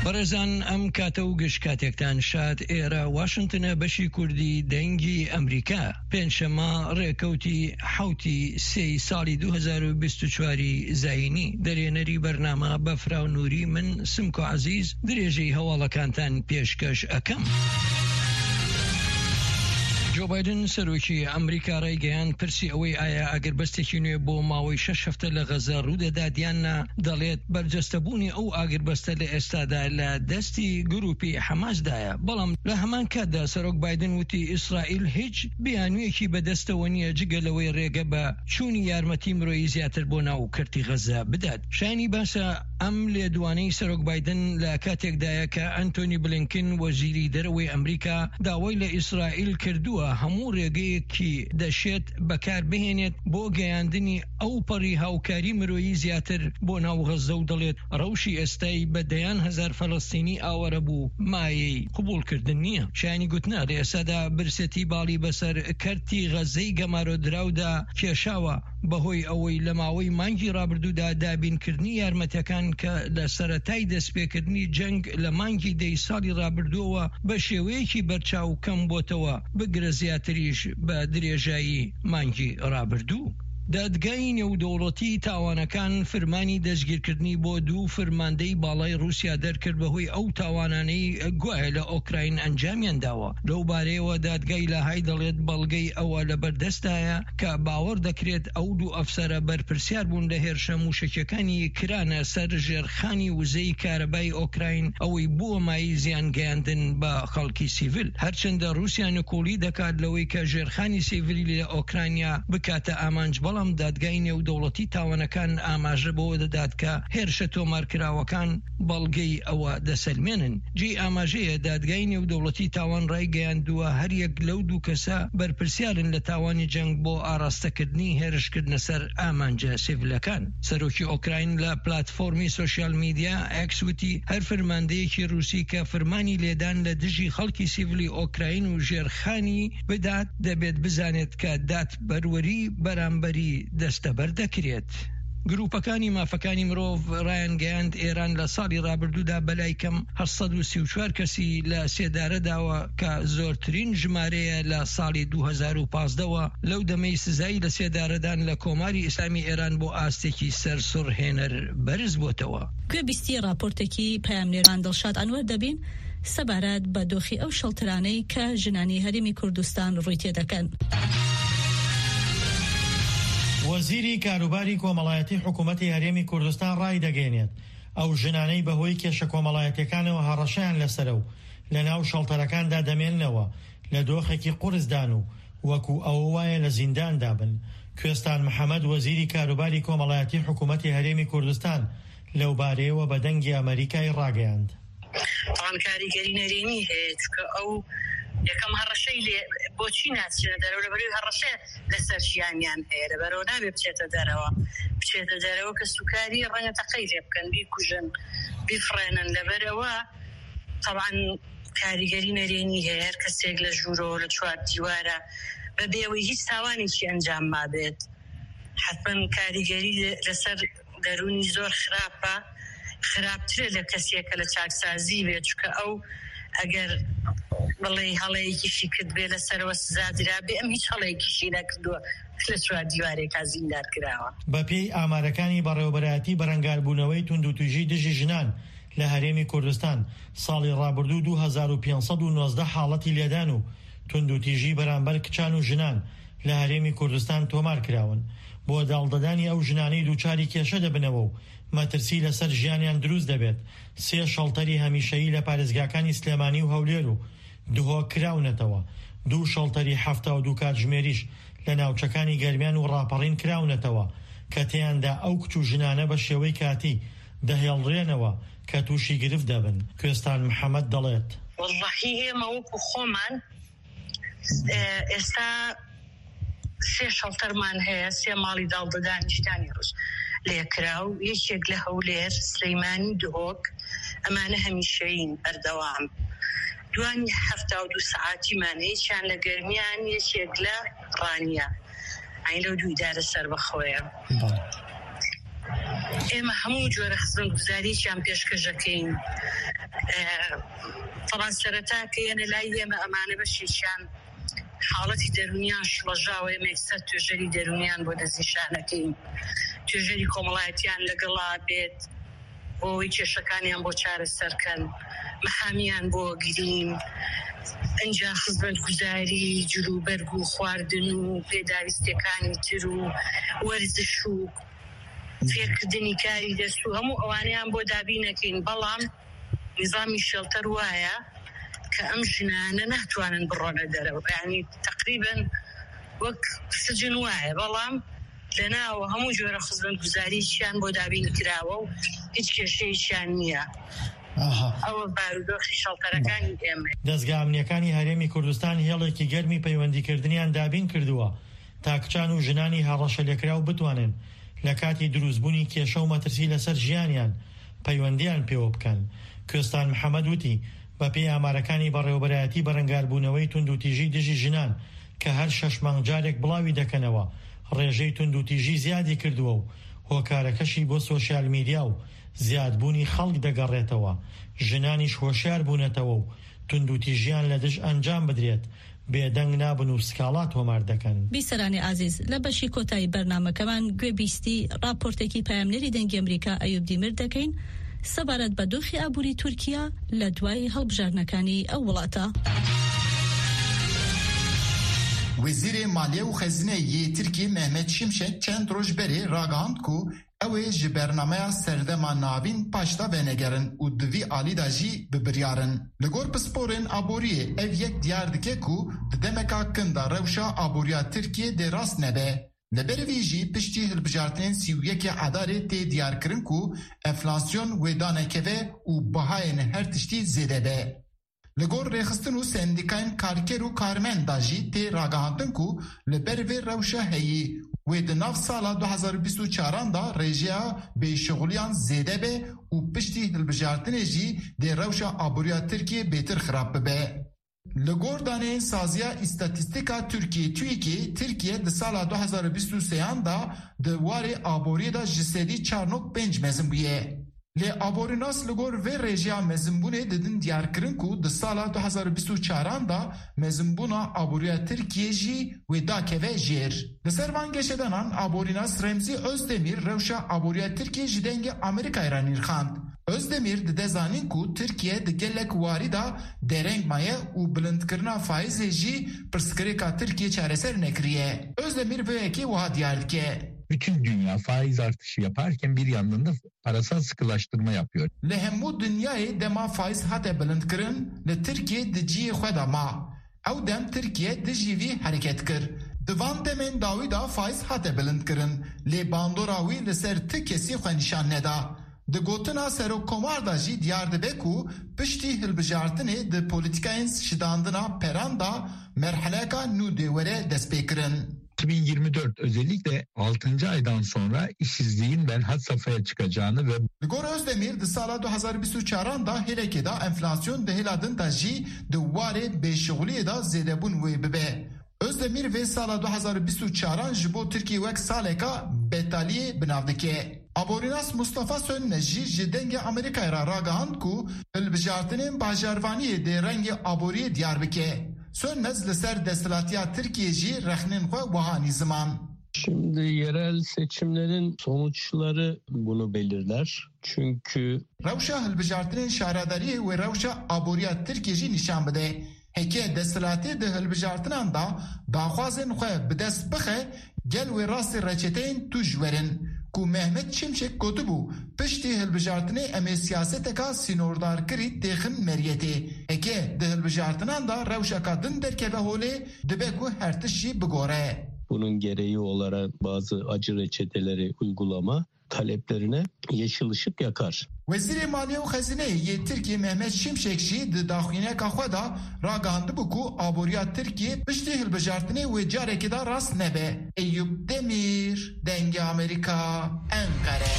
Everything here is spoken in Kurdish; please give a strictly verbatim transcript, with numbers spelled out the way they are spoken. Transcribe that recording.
بەڕێزان، ئەم کاتە و گشت کاتێکتان شاد. ئێرە واشنگتنە، بەشی کوردی دەنگی ئەمریکا. پێنجشەممە، ڕێکەوتی حەوتی سێی ساڵی دوو هەزار و بیست و چواری زایینی. دەرێنەری بەرنامە بەفراو نووری، من سمکۆ عەزیز، درێژەی هەواڵەکانتان پێشکەش ئەکەم. جۆ بایدن، سەرۆکی ئەمریکا، ڕایگەیاند پرسی ئەوەی ئایا ئاگربەستێکی نوێ بۆ ماوەی شەش هەفتە لە غەزە ڕوودەدات یان نا، دەڵێت بەرجەستەبوونی ئەو ئاگربەستە لە ئێستادا لە دەستی گروپی حەماسدایە. بەڵام لە هەمان کاتدا سەرۆک بایدن وتی ئیسرائیل هیچ بیانوویەکی بەدەستەوە نییە جگە لەوەی ڕێگە بە چوونی یارمەتی مرۆیی زیاتر بۆ ناو کەرتی غەزە بدات. شایانی باسە، ئەم لێدوانەی سەرۆک بایدن لە کاتێکدایە کە ئەنتۆنی بلینکن، وەزیری دەرەوەی ئەمریکا، داوای لە ئیسرائیل کردووە هەموو ڕێگەیەکی دەشێت بەکار بهێنێت بۆ گەیاندنی ئەو پەڕی هاوکاری مرۆیی زیاتر بۆ ناو غەزە و دەڵێت ڕەوشی ئێستای بە دەیان هەزار فەلەستینی ئاوارە بوو مایەی قبوڵکردن نییە. شایانی گوتنە، لە ئێستادا برسێتی باڵی بەسەر کەرتی غەزەی گەمارۆدراودا کێشاوە، بەهۆی ئەوەی لە ماوەی مانگی ڕابردوودا دابینکردنی یارمەتەکان کە لە سەرەتای دەستپێکردنی جەنگ لە مانگی دەی ساڵی ڕابردووەوە بە شێوەیەکی بەرچاو کەم بۆتەوە، بگرە زیاتریش بە درێژایی مانگی ڕابردوو. دادگای نێودەوڵەتی تاوانەکان فرمانی دەستگیرکردنی بۆ دوو فرماندەی باڵای رووسیا دەرکرد بەهۆی ئەو تاوانانەی گوایە لە ئۆکراین ئەنجامیان داوە. لەو بارەیەوە دادگای لاهای دەڵێت بەڵگەی ئەوە لە بەردەستدایە کە باوەڕ دەکرێت ئەو دوو ئەفسەرە بەرپرسیار بوون لە هێرشە موشەکیەکانی کرانە سەر ژێرخانی وزەی کارەبای ئۆکراین، ئەوەی بووە مایەی زیان گەیاندن بە خەڵکی سیڤیل. هەرچەندە رووسیا نکۆڵی دەکات لەوەی کە ژێرخانی سیڤیلی لە ئۆکرانیا بکاتە ئامانج، بەڵام دادگای نێودەوڵەتی تاوانەکان ئاماژە بەوە دەدات کە هێرشە تۆمارکراوەکان بەڵگەی ئەوە دەسەلمێنن. جێی ئاماژەیە، دادگای نێودەوڵەتی تاوان ڕایگەیاندووە هەر یەک لەو دوو کەسە بەرپرسیارن لە تاوانی جەنگ بۆ ئاراستەکردنی هێرشکردنە سەر ئامانجە سیڤیلەکان. سەرۆکی ئۆکراین لە پلاتفۆرمی سوسیال میدیا ئێکس وتی هەر فرماندەیەکی رووسی کە فرمانی لێدان لە دژی خەڵکی سیڤیلی ئۆکراین و ژێرخانی بدات، دەبێت بزانێت کە دادپەروەری بەرامبەری دەستەبەر دەکرێت. گروپەکانی مافەکانی مرۆڤ ڕایانگەیاند ئێران لە ساڵی ڕابردوودا بەلای کەم هەشت سەد و سی و چوار کەسی لە سێدارە داوە، کە زۆرترین ژمارەیە لە ساڵی دوو هەزار و پازدەوە. لەو دەمەی سزای لە سێدارەدان لە کۆماری ئیسلامی ئێران بۆ ئاستێکی سەرسوڕهێنەر بەرز بۆتەوە. گوێبیستی راپۆرتێکی پەیامنێران دڵشاد ئەنوەر دەبین سەبارەت بە دۆخی ئەو شەڵترانەی کە ژنانی هەرێمی کوردستان ڕووی تێدەکەن. وەزیری کاروباری کۆمەڵایەتی حکوومەتی هەرێمی کوردستان ڕایدەگەیەنێت ئەو ژنانەی بەهۆی کێشە کۆمەڵایەتیەکانەوە هەڕەشەیان لەسەرە و لە ناو شەڵتەرەکاندا دەمێننەوە، لە دۆخێکی قورسدان و وەکو ئەوە وایە لە زینداندا بن. کوێستان محەممەد، وەزیری کاروباری کۆمەڵایەتی حکوومەتی هەرێمی کوردستان، لەو بارەیەوە بە دەنگی ئەمریکای ڕاگەیاند. تاوانکاریگەری نەرێنی هەیە، چونکە ئەو یەکەم هەڕەشەی لێ، بۆچی ناچنە دەرەوە؟ لەبەرەوەی هەڕەشە لەسەر ژیانیان هەیە، لەبەرەوە نابێ بچێتە دەرەوە. بچێتە دەرەوە کە سوکاری ڕەنگە تەقەی لێ بکەن، بیکوژن، بیفڕێنن. لەبەرەوە تەبعەن کاریگەری نەرێنی هەیە. هەر کەسێک لە ژوورەوە، لە چوار دیوارە، بە بێوەی هیچ تاوانێکی ئەنجام مابێت، حەتمەن کاریگەری لەسەر دەروونی زۆر خراپە، خراپترە لە کەسێکە لە چاکسازی بێت، چونکە ئەو ئەگەر بڵێ هەڵەیەکیشی کرد بێ لەسەرەوە سزا درا بێ، ئەم هیچ هەڵەیەکیشی نەکردووە، لە چوار دیوارێکا زیندار کراوە. بە پێی ئامارەکانی بەڕێوەبەرایەتی بەرەنگاربوونەوەی توندوتیژی دژی ژنان لە هەرێمی کوردستان، ساڵی ڕابردوو دوو هەزار و پێنج سەد و نۆزدە حاڵەتی لێدان و توندوتیژی بەرامبەر کچان و ژنان لە هەرێمی کوردستان تۆمار کراون. بۆ داڵدەدانی ئەو ژنانەی دووچاری کێشە دەبنەوە و مەترسی لەسەر ژیانیان دروست دەبێت، سێ شەڵتەری هەمیشەیی لە پارێزگاکانی سلێمانی و هەولێر و دهۆک کراونەتەوە. دوو شەڵتەری حەفتا و دوو کاتژمێریش لە ناوچەکانی گەرمیان و ڕاپەڕین کراونەتەوە، کە تێیاندا ئەو کچ و ژنانە بە شێوەی کاتی دەهێڵرێنەوە کە تووشی گرفت دەبن. کوێستان محەممەد دەڵێت. وەڵڵاهی ئێمە وەکو خۆمان، ئێ، ئێستا سێ شەڵتەرمان هەیە، سێ ماڵی داڵدەدانی ژنانی ڕووس لێکراو، یەکێک لە هەولێر، سلەیمانی، دهۆک، ئەمانە هەمیشەیین بەردەوام. دوانی هەفتا و دوو سەعاتیمان هەیە، یەکیان لە گەرمیان، یەکێک لە ڕانیە. ئەی لەو دوو ئیدارە سەربەخۆیە. بەڵێ. ئێمە هەموو جۆرە خزمەتگوزاریەکیان پێشکەش دەکەین. ئە، تەبعەن سەرەتا کە یەنە لای ئێمە، ئەمانە بەشێکیان حاڵەتی دەرونیان شڵەژاوە، ئێمە ئێستا توێژەری دەرونیان بۆ دەستنیشانەکەین، توێژەری کۆمەڵایەتیان لەگەڵا بێت، بۆ ئەوەی کێشەکانیان بۆ چارەسەرکەن، مەحامیان بۆ گرین، ئەنجا خزمەتگوزاری جلوبەرگ و خواردن و پێداویستیەکانی تر و وەرزش و فێرکردنی کاری دەست و هەموو ئەوانەیان بۆ دابینەکەین. بەڵام نظامی شێڵتەر وایە کە ئەم ژنانە ناتوانن بڕۆنە دەرەوە، یعنی تقریبن وەک سجن وایە، بەڵام لەناوە هەموو جۆرە خزمەتگوزاریشیان بۆ دابین کراوە و هیچ کێشەیەکیان نییە. ئەوە بارودۆخی شەڵتەرەکانی ئێمە. دەستگا ئەمنیەکانی هەرێمی کوردستان هێڵێکی گەرمی پەیوەندیکردنیان دابین کردووە تا کچان و ژنانی هەڕەشە لێکراو بتوانن لە کاتی دروستبوونی کێشە و مەترسی لەسەر ژیانیان پەیوەندیان پێوە بکەن. کوێستان محەممەد وتی، بە پێی ئامارەکانی بەڕێوەبەرایەتی بەرەنگاربوونەوەی توندوتیژی دژی ژنان کە هەر شەش مانگ جارێک بڵاوی دەکەنەوە، ڕێژەی توندوتیژی زیادی کردووە و هۆکارەکەشی بۆ سۆشیال میدیا و زیادبوونی خەڵک دەگەڕێتەوە. ژنانیش هۆشیار بوونەتەوە و توندوتیژیان لە دژ ئەنجام بدرێت، بێدەنگ نابن و سکاڵا تۆمار دەکەن. بیسەرانی ئازیز، لە بەشی کۆتایی بەرنامەکەمان گوێبیستی راپۆرتێکی پەیامنێری دەنگی ئەمریکا ئەیوب دیمر دەکەین سەبارەت بە دۆخی ئابووری تورکیا لە دوای هەڵبژاردنەکانی ئەو وڵاتە. Wezîrê Maliye û Xezîneyê yê Tirkiyê Mehmet Şimşek çend roj berê ragihand ku ew ê ji bernameya Serdema Navîn paşda venegerin û di vî alî de jî bi biryar in. Li gor pisporên aboriyê ev yek diyar dike ku di demeka kin de rewşa aboriya Tirkiyê dê rast nebe. Li ber vî jî piştî hilbijartinên sî û yekê Edarê tê diyarkirin ku enflasyon wê danekeve û bihayên her tiştî zêde be. Li gor rêxistin û sendîkayên karker û karmend de jî tê ragihandin ku li ber vê rewşa heyî wê di nav sala du hazar û bîst û çaran de rêjeya bêşixuliyan zêde be û piştî hilbijartinê jî dê rewşa aboriya Tirkiyê bêtir xirab bibe. Li gor daneyên Saziya Îstatîstîka Tirkiyê, TÜİKê, Tirkiye di sala du hazar û bîst û sêyan de di warê aboriyê de ji sedî çar nokta pênc mezin bûye. Lê aborînas li gor vê rêjeya mezinbûnê didin diyarkirin ku di sala du hazar û bîst û çaran de mezinbûna aboriya Tirkiyê jî wê dakeve jêr. Li ser van geşedanan aborînas Remzî Özdemir rewşa aboriya Tirkiyê ji dengê Amerîkayê re nirxand. Özdemir dide zanîn ku Tirkiye di gelek warî de dereng maye û bilindkirina faîzê jî pirsgirêka Tirkiye çareser nekiriye. Özdemir vê yekê wiha diyar dike. Bütün dünya faiz artışı yaparken bir yandan da parasal sıkılaştırma yapıyor. Li hemû dinyayê dema faîz hate bilindkirin, li Tirkiye di cihê xwe de ma. Ew dem Tirkiye dijî vî hereket kir. Di van demên dawî de faîz hate bilindkirin, lê bandora wî li ser ti kesî xwe nîşan neda. Di gotina Serokkomar de jî diyar dibe ku piştî hilbijartinê di polîtîkayên şidandina peran de merheleka nû dê were destpêkirin. iki bin yirmi dört özellikle altıncı aydan sonra işsizliğin ben had safhaya çıkacağını ve Li gor Özdemir di sala du hazar bîst û çaran de hêlekê de enflasyon di hêla din de jî di warê bêşixuliyê de zêdebûn wê bibe. Özdemir vê sala du hazar bîst û çaran ji bo Tirkiyê wek saleka betaliyê bi nav dike. Aborînas Mustafa Sönmez jî ji Dengê Amerîkayê re ragihand ku hilbijartinên bajarvaniyê dê rengê aboriyê diyar bike. Sönmez li ser desthilatiya Tirkiyê jî rexnên xwe wiha anî ziman. Şimdi yerel seçimlerin sonuçları bunu belirler. Çünkü Rewşa hilbijartinên şaredariyê wê rewşa aboriya Tirkiyê jî nîşan bide. Heke desthilatê di hilbijartinan de daxwazên xwe bi dest bixe, gel wê rastî reçeteyên tûj werin, ku Mehmet Şimşek gotibû, piştî hilbijartinê em ê siyaseteka sînordarkirî têxin meriyetê. Heke di hilbijartinan de rewşeka din derkeve holê, dibe ku her tişt jî bigore. Bunun gereği olarak bazı acı reçeteleri uygulama taleplerine yeşil ışık yakar. Wezîrê Maliye û Xezîneyê yê Tirkiyê Mehmet Şimşek jî di daxuyaniyeka xwe de ragihandibû ku aboriya Tirkiyê piştî hilbijartinê wê carekê de rast nebe. Eyûp Demîr, Dengê Amerîka, Enqere.